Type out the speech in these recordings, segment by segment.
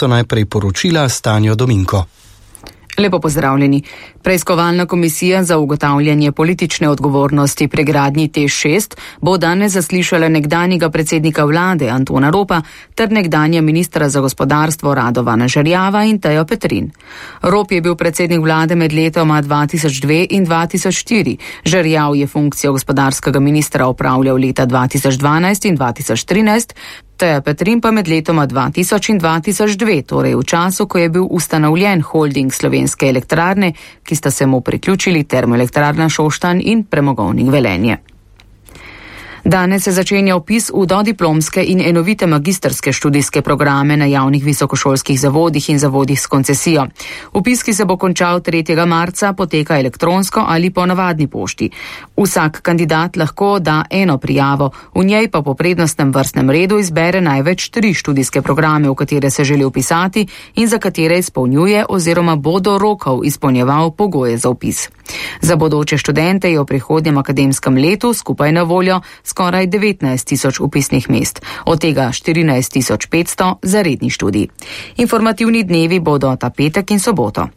mesto najprej poročila Stanjo Dominko. Lepo pozdravljeni. Preiskovalna komisija za ugotavljanje politične odgovornosti pri gradnji TEŠ6 bo danes zaslišala nekdanjega predsednika vlade Antona Ropa ter nekdanja ministra za gospodarstvo Radovana Žerjava in Tejo Petrin. Rop je bil predsednik vlade med letoma 2002 in 2004. Žerjav je funkcijo gospodarskega ministra opravljal leta 2012 in 2013, Teja Petrin pa med letoma 2000 in 2002, torej v času, ko je bil ustanovljen holding Slovenske elektrarne, ki sta se mu priključili Termoelektrarna Šoštanj in Premogovnik Velenje. Danes se začenja vpis v dodiplomske in enovite magistrske študijske programe na javnih visokošolskih zavodih in zavodih s koncesijo. Vpis, ki se bo končal 3. marca, poteka elektronsko ali po navadni pošti. Vsak kandidat lahko da eno prijavo, v njej pa po prednostnem vrstnem redu izbere največ 3 študijske programe, v katere se želi vpisati in za katere izpolnjuje oziroma bo do rokov izpolnjeval pogoje za vpis. Za bodoče študente je v prihodnjem akademskem letu skupaj na voljo skoraj 19.000 vpisnih mest, od tega 14.500 za redni študij. Informativni dnevi bodo ta petek in soboto.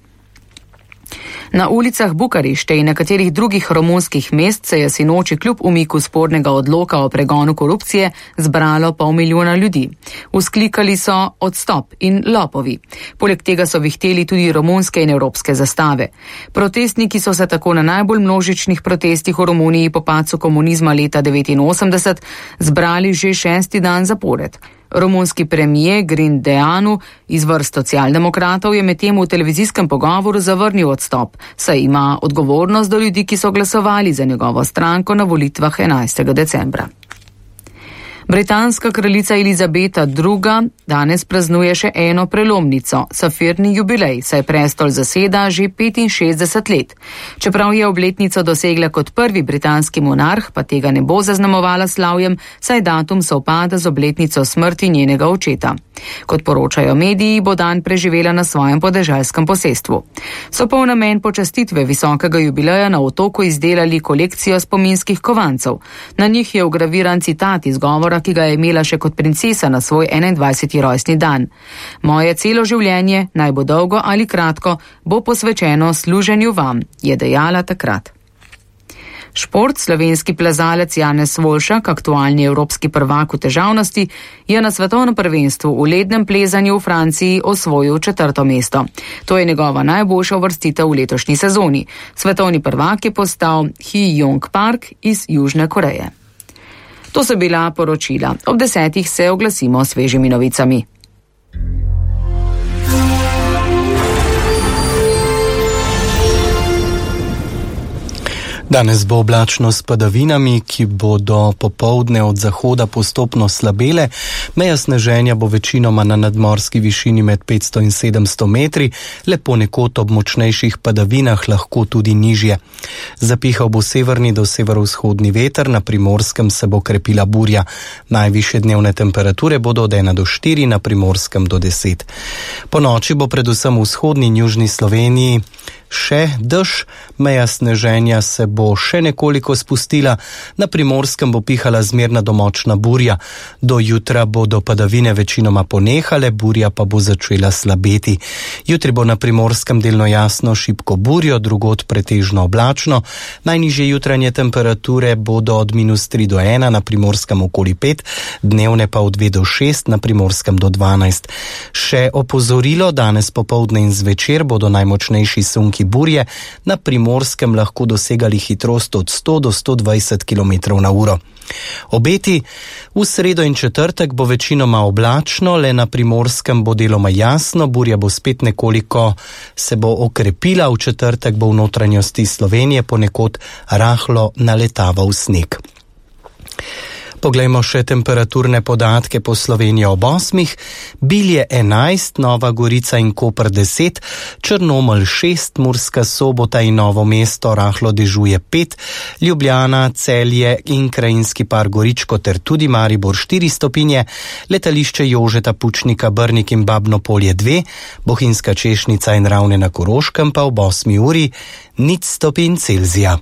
Na ulicah Bukarešte in nekaterih drugih romunskih mest se je sinoči kljub umiku spornega odloka o pregonu korupcije zbralo 500 000 ljudi. Vzklikali so odstop in lopovi. Poleg tega so vihteli tudi romunske in evropske zastave. Protestniki so se tako na najbolj množičnih protestih v Romuniji po padcu komunizma leta 1989 zbrali že 6. dan zapored. Romunski premijer Grindeanu iz vrst socialdemokratov je medtem v televizijskem pogovoru zavrnil odstop, saj ima odgovornost do ljudi, ki so glasovali za njegovo stranko na volitvah 11. decembra. Britanska kraljica Elizabeta II. Danes praznuje še eno prelomnico, safirni jubilej, saj prestol zaseda že 65 let. Čeprav je obletnico dosegla kot prvi britanski monarh, pa tega ne bo zaznamovala slavjem, saj datum sovpada z obletnico smrti njenega očeta. Kot poročajo mediji, bo dan preživela na svojem podeželskem posestvu. So pa v namen počastitve visokega jubileja na otoku izdelali kolekcijo spominskih kovancev. Na njih je vgraviran citat iz govora, ki ga je imela še kot princesa na svoj 21. rojstni dan. Moje celo življenje, naj bo dolgo ali kratko, bo posvečeno služenju vam, je dejala takrat. Šport, slovenski plezalec Janez Volšak, aktualni evropski prvak v težavnosti, je na svetovnem prvenstvu v lednem plezanju v Franciji osvojil 4. mesto. To je njegova najboljša uvrstitev v letošnji sezoni. Svetovni prvak je postal Hee-Young Park iz Južne Koreje. To so bila poročila. Ob 10. se oglasimo s svežimi novicami. Danes bo oblačno s padavinami, ki bodo popoldne od zahoda postopno slabele. Meja sneženja bo večinoma na nadmorski višini med 500 in 700 metri, le ponekod ob močnejših padavinah lahko tudi nižje. Zapihal bo severni do severovzhodni veter, na Primorskem se bo krepila burja. Najvišje dnevne temperature bodo od 1 do 4, na Primorskem do 10. Po noči bo predvsem v vzhodni in južni Sloveniji še dež, meja sneženja se bo še nekoliko spustila, na Primorskem bo pihala zmerna do močna burja. Do jutra bodo padavine večinoma ponehale, burja pa bo začela slabeti. Jutri bo na Primorskem delno jasno, šibko burjo, drugod pretežno oblačno. Najnižje jutranje temperature bodo od -3 do 1, na Primorskem okoli 5, dnevne pa od 2 do 6, na Primorskem do 12. Še opozorilo, danes popoldne in zvečer bodo najmočnejši sunki burje na Primorskem lahko dosegali hitrost od 100 do 120 km/h. Obeti: v sredo in četrtek bo večinoma oblačno, le na Primorskem bo deloma jasno, burja bo spet nekoliko se bo okrepila, v četrtek bo v notranjosti Slovenije ponekod rahlo naletaval sneg. Poglejmo še temperaturne podatke po Sloveniji ob 8. Bilje 11, Nova Gorica in Koper 10, Črnomelj 6, Murska Sobota in Novo mesto rahlo dežuje 5, Ljubljana, Celje in Krajinski par Goričko ter tudi Maribor 4 stopinje, letališče Jožeta Pučnika, Brnik in Babno Polje 2, Bohinjska Češnica in Ravne na Koroškem pa ob 8. uri 0 stopinj Celzija.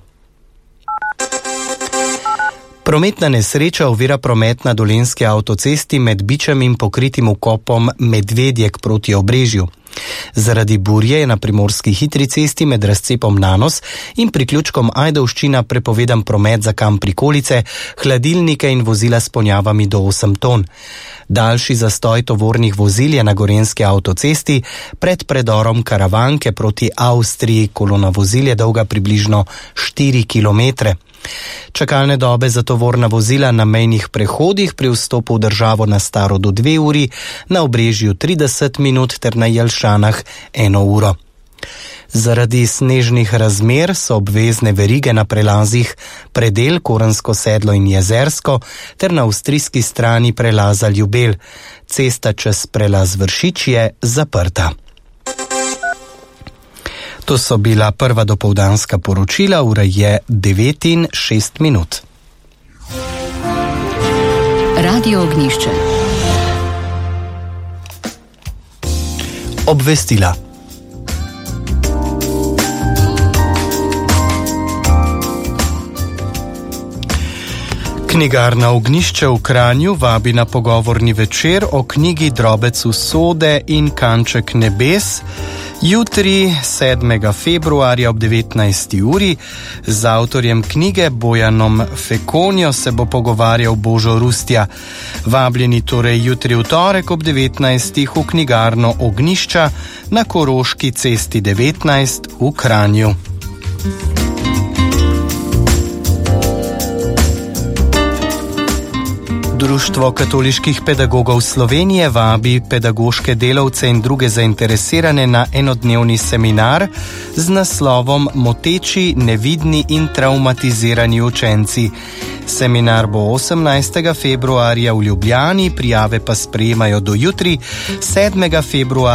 Prometna nesreča ovira promet na dolenski avtocesti med Bičem in pokritim vkopom Medvedjek proti Obrežju. Zaradi burje je na primorski hitri cesti med razcepom Nanos in priključkom Ajdovščina prepovedan promet za kamp prikolice, hladilnike in vozila s ponjavami do 8 ton. Daljši zastoj tovornih vozil je na gorenski avtocesti pred predorom Karavanke proti Avstriji. Kolona vozil je dolga približno 4 kilometre. Čakalne dobe za tovorna vozila na mejnih prehodih pri vstopu v državo na Staro do 2 uri, na Obrežju 30 minut ter na Jelšanah 1 uro. Zaradi snežnih razmer so obvezne verige na prelazih Predel, Korensko sedlo in Jezersko ter na avstrijski strani prelaza Ljubelj. Cesta čez prelaz Vršič je zaprta. To so bila prva dopoldanska poročila, ura je 9:06. Radio Ognjišče. Obvestila. Knjigarna Ognjišče v Kranju vabi na pogovorni večer o knjigi Drobec usode in Kanček nebes. Jutri, 7. februarja ob 19. uri, z avtorjem knjige Bojanom Fekonjo se bo pogovarjal Božo Rustja. Vabljeni torej jutri v torek ob 19. v knjigarno Ognjišča na Koroški cesti 19 v Kranju. Društvo katoliških pedagogov Slovenije vabi pedagoške delavce in druge zainteresirane na enodnevni seminar z naslovom Moteči, nevidni in traumatizirani učenci. Seminar bo 18. februarja v Ljubljani, prijave pa sprejemajo do jutri, 7. februarja.